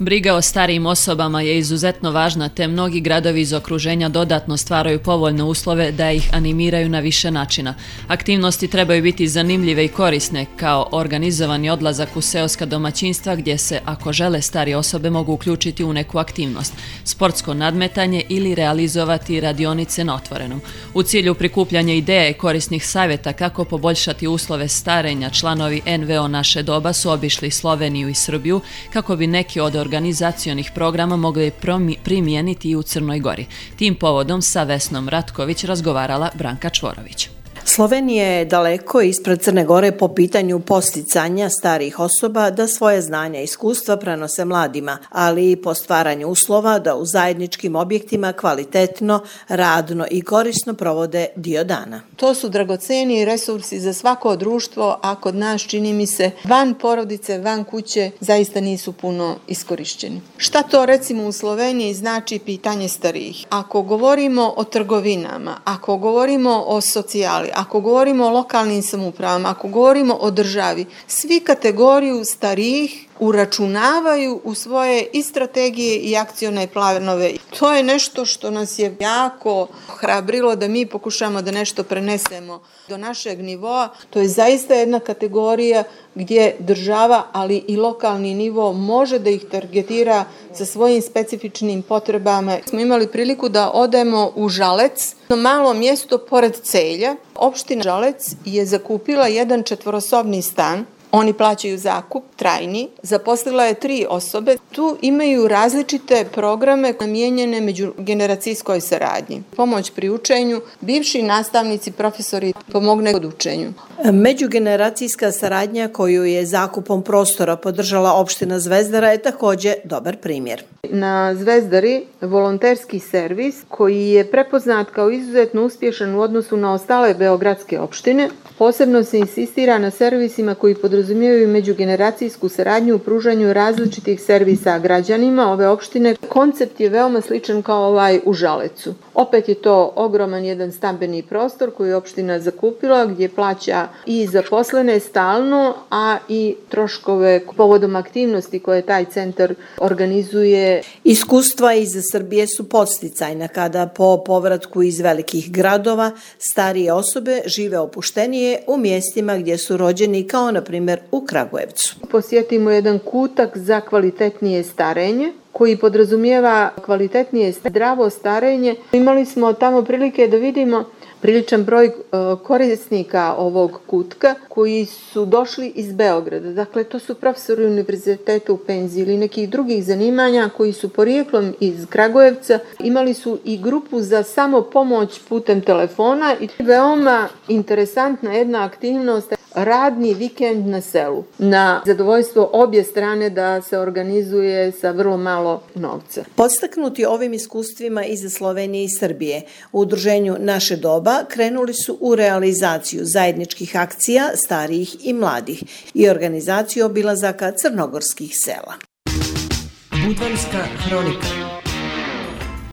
Briga o starijim osobama je izuzetno važna, te mnogi gradovi iz okruženja dodatno stvaraju povoljne uslove da ih animiraju na više načina. Aktivnosti trebaju biti zanimljive i korisne, kao organizovani odlazak u seoska domaćinstva gdje se, ako žele, starije osobe mogu uključiti u neku aktivnost, sportsko nadmetanje ili realizovati radionice na otvorenom. U cilju prikupljanja ideja i korisnih savjeta kako poboljšati uslove starenja, članovi NVO Naše doba su obišli Sloveniju i Srbiju kako bi neki od organizacionih programa mogli primijeniti i u Crnoj Gori. Tim povodom sa Vesnom Ratković razgovarala Branka Čvorović. Slovenija je daleko ispred Crne Gore po pitanju podsticanja starijih osoba da svoje znanja i iskustva prenose mladima, ali i po stvaranju uslova da u zajedničkim objektima kvalitetno, radno i korisno provode dio dana. To su dragoceni resursi za svako društvo, a kod nas, čini mi se, van porodice, van kuće zaista nisu puno iskorišćeni. Šta to recimo u Sloveniji znači pitanje starijih? Ako govorimo o trgovinama, ako govorimo o socijali, ako govorimo o lokalnim samoupravama, ako govorimo o državi, svi kategoriju starijih uračunavaju u svoje i strategije i akcione planove. To je nešto što nas je jako hrabrilo da mi pokušamo da nešto prenesemo do našeg nivoa. To je zaista jedna kategorija gdje država, ali i lokalni nivo može da ih targetira sa svojim specifičnim potrebama. Smo imali priliku da odemo u Žalec, na malo mjesto pored Celja. Opština Žalec je zakupila jedan 4-sobni stan. Oni plaćaju zakup, trajni, zaposlila je 3 osobe. Tu imaju različite programe namijenjene međugeneracijskoj saradnji. Pomoć pri učenju, bivši nastavnici, profesori pomogne kod učenju. Međugeneracijska saradnja koju je zakupom prostora podržala opština Zvezdara je također dobar primjer. Na Zvezdari volonterski servis koji je prepoznat kao izuzetno uspješan u odnosu na ostale beogradske opštine. Posebno se insistira na servisima koji podrazumijevaju međugeneracijsku saradnju u pružanju različitih servisa građanima ove opštine. Koncept je veoma sličan kao ovaj u Žalecu. Opet je to ogroman jedan stambeni prostor koji je opština zakupila gdje plaća i zaposlene stalno, a i troškove povodom aktivnosti koje taj centar organizuje. Iskustva iz Srbije su podsticajna kada po povratku iz velikih gradova starije osobe žive opuštenije u mjestima gdje su rođeni, kao na primjer u Kragujevcu. Posjetimo jedan kutak za kvalitetnije starenje koji podrazumijeva kvalitetnije zdravo starenje. Imali smo tamo prilike da vidimo priličan broj korisnika ovog kutka koji su došli iz Beograda. Dakle, to su profesori univerziteta u penziji ili nekih drugih zanimanja koji su porijeklom iz Kragujevca. Imali su i grupu za samopomoć putem telefona i veoma interesantna jedna aktivnost, radni vikend na selu. Na zadovoljstvo obje strane da se organizuje sa vrlo malo novca. Podstaknuti ovim iskustvima iz Slovenije i Srbije, u udruženju Naše doba krenuli su u realizaciju zajedničkih akcija starijih i mladih i organizaciju obilazaka crnogorskih sela. Budvanska hronika.